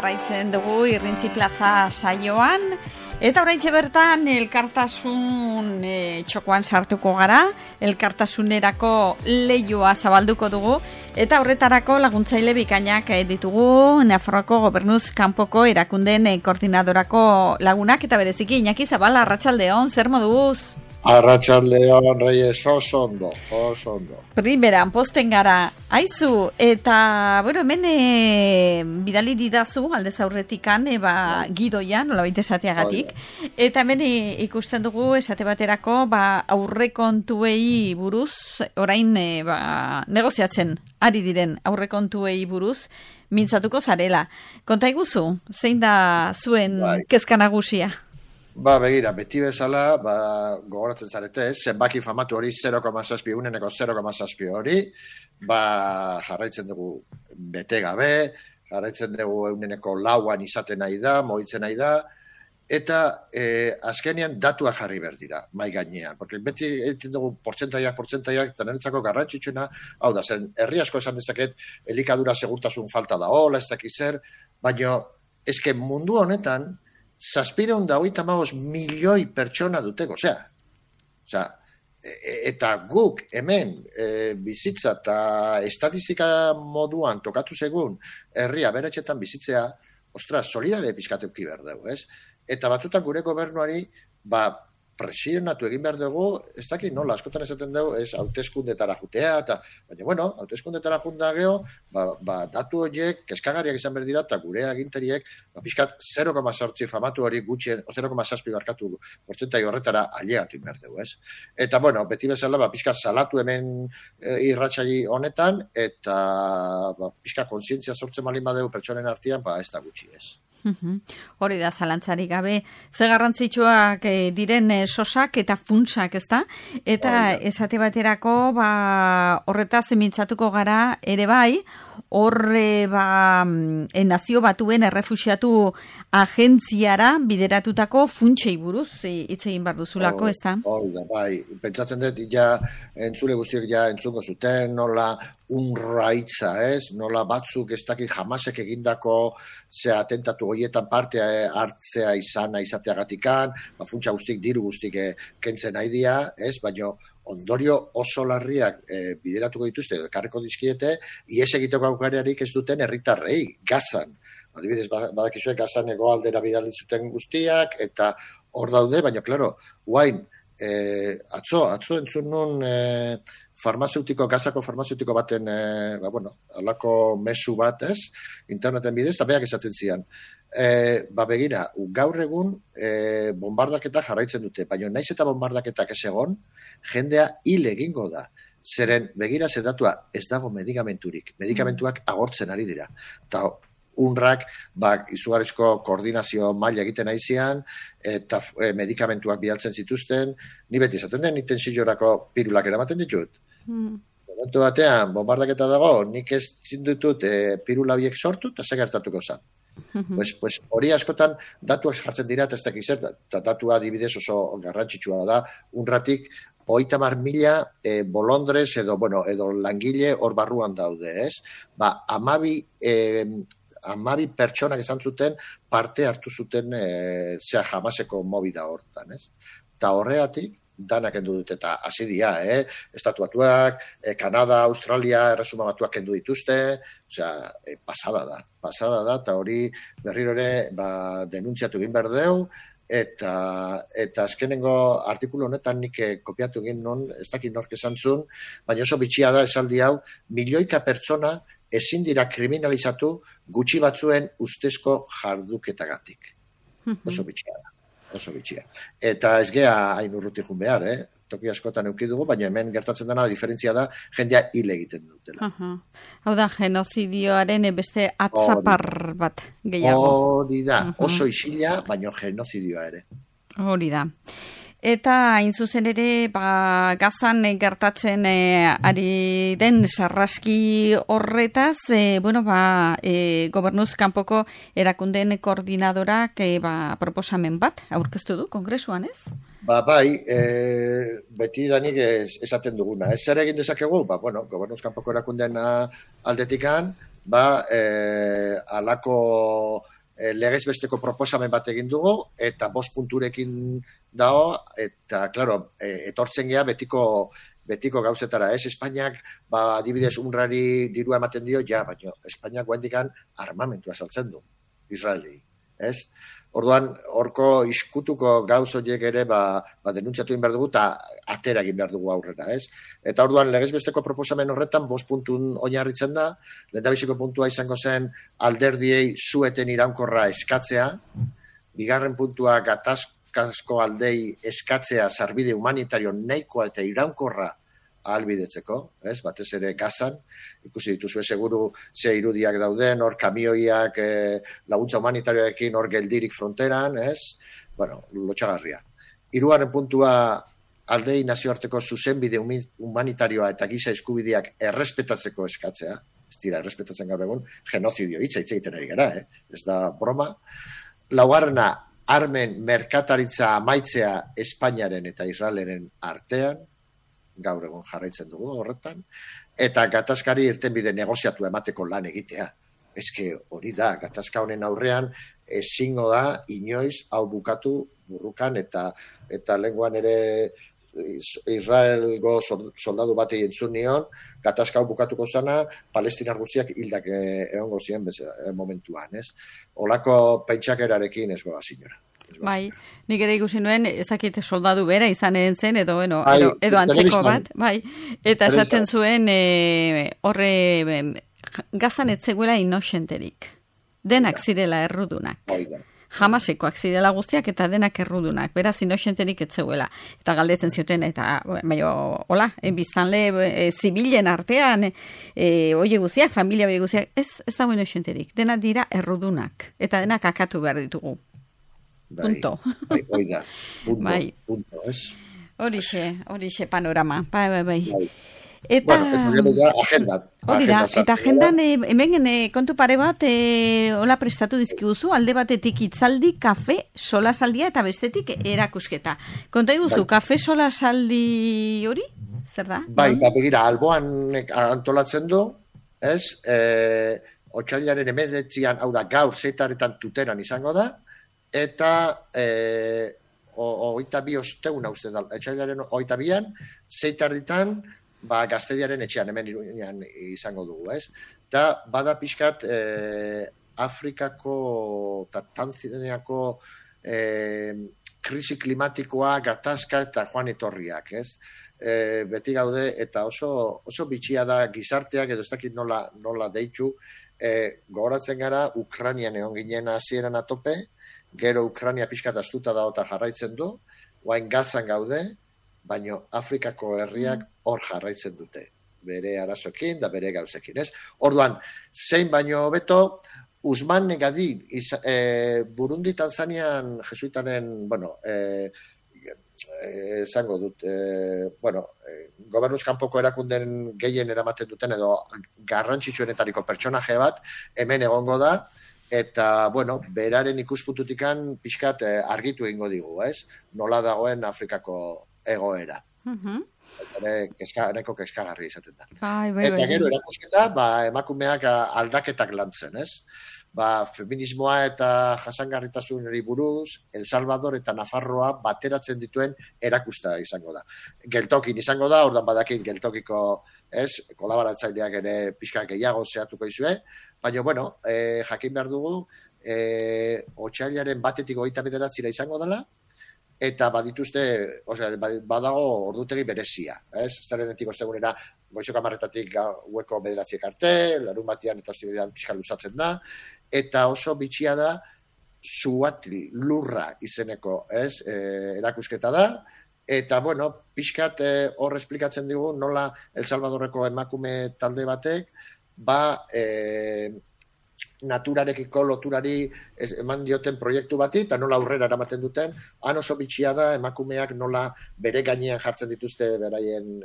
jarraitzen dugu Irrintzi Plaza saioan, eta oraintxe bertan elkartasun txokoan sartuko gara, elkartasunerako leioa zabalduko dugu, eta horretarako laguntzaile bikainak ditugu Nafarroako Gobernuz kanpoko erakundeen koordinadorako lagunak, eta bereziki Iñaki Zabala, arratsaldeon, zer moduz? Arratsaldeon, Reyes, oso ondo. Primeran, posten gara, aizu, eta, bueno, hemen bidali didazu, aldez aurretikan, gidoia, nolabait esateagatik, eta hemen ikusten dugu, esate baterako, aurrekontuei buruz, orain, negoziatzen, ari diren aurrekontuei buruz, mintzatuko zarela. Konta iguzu, zein da zuen kezka nagusia? Begira, beti bezala, gogoratzen zarete, zenbaki famatu hori 0,7, uneneko 0,7 hori, jarraitzen dugu bete gabe, jarraitzen dugu uneneko lauan izaten nahi da, moitzen nahi da, eta azkenean datuak jarri behar dira, mai gainean. Porque beti egiten dugu portzentaiak, eta niretzako garrantzitsuna, hau da, zen, herri asko esan dezaket, elikadura segurtasun falta da, ez dakiz zer, baina, eske mundu honetan, 750 milioi pertsona duteko, eta guk hemen bizitza eta estatistika moduan tokatu segun herria beretxetan bizitzea, solidare pizkatuki behar dugu, ez? Eta batutan gure gobernuari, presionatu egin behar dugu, ez dakit nola, askotan esaten dugu, ez hauteskundetara jutea, baina, bueno, hauteskundetara junta geho, datu horiek, kezkagariak izan behar dira, eta gure aginteriek, pixkat 0,8 famatu hori gutxien, 0,6 barkatu portzentai horretara ailegatu behar dugu, ez? Eta, bueno, beti bezala, pixkat salatu hemen irratsaio honetan, eta pixkat kontzientzia sortzen malin badeu pertsonen artean, ez da gutxi, ez? Hori da, zalantzarik gabe, ze garrantzitsuak diren sosak eta funtsak, ezta? Eta esate baterako, horretaz mintzatuko gara ere bai, horre nazio batuen errefuxiatu agentziara bideratutako funtsei buruz hitz egin behar duzulako, ezta? Hori da, pentsatzen dut, entzule guztiok entzungo zuten, nola unraitza, nola batzuk ez dakit jamasek egindako atentatu horietan parte hartzea izateagatikan, funtsa guztik, diru guztik kentzen nahi dia, baina ondorio oso larriak bideratuko dituzte, ekarriko dizkiete, ies egiteko aukariarik ez duten herritarrei, Gazan. Adibidez, badakizue Gazan hegoaldera bidali zuten guztiak, eta hor daude, baina, klaro, guain, atzo entzun nun Gazako farmazeutiko baten, alako mezu bat, interneten bidez, eta beak esaten zian. Begira, gaur egun bombardaketa jarraitzen dute, baina naiz eta bombardaketak ez egon, jendea hil egingo da. Zeren, begira, zedatua ez dago medikamenturik. Medikamentuak agortzen ari dira. Eta UNRWAk izugarrizko koordinazio maila egiten aizian, eta medikamentuak bidaltzen zituzten, ni beti esaten den, niten silorako pirulak eramaten ditut. Momentu batean, bombardaketa dago, nik ez zindutut pirula biek sortu, eta segertatuko zen. Pues hori askotan datuak jartzen dira, eta ez dakiz zer, eta datua adibidez oso garrantzitsua da, UNRWAtik 30.000 bolondrez edo langile hor barruan daude, ez? 12 pertsonak izan zuten parte hartu zuten jamaseko movida hortan, ez? Eta horregatik, danak kendu dute, eta hasi dira, Estatuatuak, Kanada, Australia, Erresuma Batuak kendu dituzte, pasada da, eta hori berriro ere denuntziatu egin behar deu, eta azkenengo artikulu honetan nik kopiatu egin non, ez dakit nork esan zuen, baina oso bitxia da esaldi hau, milioika pertsona ezin dira kriminalizatu gutxi batzuen ustezko jarduketagatik. Oso bitxia da. Eta ez gea hain urruti jun behar, toki askotan eukidugu, baina hemen gertatzen dena diferentzia da, jendea hil egiten dutela. Hau da, genozidioaren beste atzapar bat gehiago. Hori da, oso isila, baina genozidioa ere. Hori da. Eta hain zuzen ere, Gazan gertatzen ari den sarraski horretaz, Gobernuz kanpoko erakundeen koordinadorak proposamen bat aurkeztu du kongresuan, ez? Beti danik esaten duguna. Ez zer egin dezakegu, Gobernuz kanpoko erakundeen aldetikan, alako legez besteko proposamen bat egin dugu, eta 5 punturekin dago, eta, klaro, etortzen gea betiko gauzetara, ez? Espainiak, adibidez, UNRWAri dirua ematen dio, baina Espainiak guendikan armamentua saltzen du, Israeli, ez? Orduan, horko iskutuko gauz horiek ere, denuntziatu egin behar dugu, eta atera egin behar dugu aurrera, ez? Eta orduan, legez besteko proposamen horretan, 5 puntun oinarritzen da, lehendabiziko puntua izango zen, alderdiei sueten iraunkorra eskatzea, bigarren puntua gatazkasko aldei eskatzea sarbide humanitario nahikoa eta iraunkorra ahalbidetzeko, ez? Batez ere Gazan, ikusi dituzue seguru ze irudiak dauden, hor kamioiak laguntza humanitarioekin hor geldirik fronteran, ez? Bueno, lotxagarria. 3. puntua aldei nazioarteko zuzenbide humanitarioa eta giza eskubideak errespetatzeko eskatzea, ez dira errespetatzen gaur egun, genozidio hitz egiten ari gara, ez da broma. 4. armen merkataritza amaitzea Espainiaren eta Israeleren artean, gaur egun jarraitzen dugu horretan, eta gatazkari irtenbide negoziatu emateko lan egitea. Eske hori da, gatazka honen aurrean ezingo da inoiz hau bukatu burrukan, eta lenguan ere Israelgo soldadu bat entzun nion, gatazka hau bukatuko zana, palestinar guztiak hildak egongo ziren momentuan, ez? Olako pentsakerarekin ez goa zinora. Bai, nik ere ikusi nuen, ezakite soldadu bera izan zen, edo antzeko bat, bai, eta esaten zuen horre Gazan etzeguela inoxenterik, denak zirela errudunak. Hamasekoak zirela guztiak eta denak errudunak, beraz inoxenterik etzeguela. Eta galdetzen zioten, eta hola, biztanle zibilen artean, oie guztiak, familia oie guztiak, ez dago inoxenterik, denak dira errudunak, eta denak akatu behar ditugu. Punto. Punto, ez? Horixe panorama, bai. Eta agenda. Hori da, eta agendan hemen kontu pare bat hola prestatu dizkiguzu, alde batetik hitzaldi, kafe, solasaldia eta bestetik erakusketa. Konta iguzu, kafe solasaldi hori? Zer da? Bai, begira, Alboan antolatzen du, ez? Otsailaren 19an, hau da, gaur 6 tuteran izango da, eta 22 ostegun uste da, etxailaren 22an, 6 Gaztediaren etxean, hemen Iruñan izango dugu, ez? Eta bada pixkat Afrikako eta Tanzaniako krisi klimatikoa, gatazka eta joan etorriak, ez? Beti gaude, eta oso bitxia da gizarteak, edo ez dakit nola deitu, gogoratzen gara, Ukrainian egon ginen hasieran atope, gero Ukraina pixkat astuta da eta jarraitzen du, guain Gazan gaude, baina Afrikako herriak hor jarraitzen dute, bere arazoekin da bere gauzekin, ez? Orduan, zein baino beto, Usman Negadi, Burundi, Tanzanian, jesuitaren, esango dut, gobernuz kanpoko erakunden gehien eramaten duten, edo garrantzitsuenetariko pertsonaje bat, hemen egongo da, eta, beraren ikuspuntutikan pixkat argitu egingo digu, ez? Nola dagoen Afrikako egoera. Nahiko keskagarri izaten da. Eta gero erakusketa, emakumeak aldaketak lantzen, ez? Feminismoa eta jasangarritasunari buruz, El Salvador eta Nafarroa bateratzen dituen erakusta izango da. Geltokin izango da, ordan badakin geltokiko, ez, kolaboratzaileak ere pixka gehiago zehatuko izue, baina, jakin behar dugu, otsailaren 1-tik 29 izango dela, eta badituzte, badago ordutegi berezia, ez? Zerrenetik ostegunera, goizok 10:00 gaueko 9:00 arte, larun batean eta ostegunean pixka luzatzen da, eta oso bitxia da, Zuatli lurra izeneko, ez? Erakusketa da, eta, pixkat hor esplikatzen digu, nola El Salvadorreko emakume talde batek, naturarekiko loturari eman dioten proiektu bati, eta nola aurrera eramaten duten, han oso bitxia da, emakumeak nola bere gainean jartzen dituzte beraien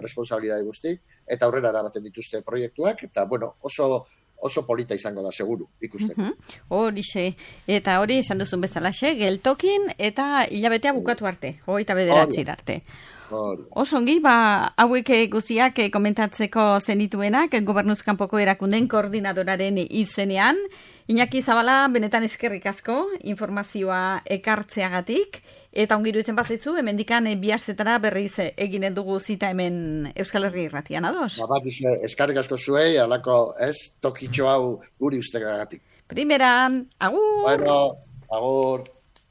responsabilidade guzti, eta aurrera eramaten dituzte proiektuak, eta oso oso polita izango da, seguru, ikusteko. Horixe, eta hori esan duzun bezalaxe, geltokin eta hilabetea bukatu arte, 29 arte. Oso ongi, hauek guztiak komentatzeko zenituenak, gobernuzkanpoko erakunden koordinadoraren izenean. Iñaki Zabala, benetan eskerrik asko, informazioa ekartzeagatik, eta ongi iruditzen bazaizu, hemendikan bihaztetara berriz eginen dugu zita hemen Euskal Herria Irratian, ados? Eskerrik asko zuei, alako tokitxo hau guri ustekagatik. Primeran, agur! Bueno, agur!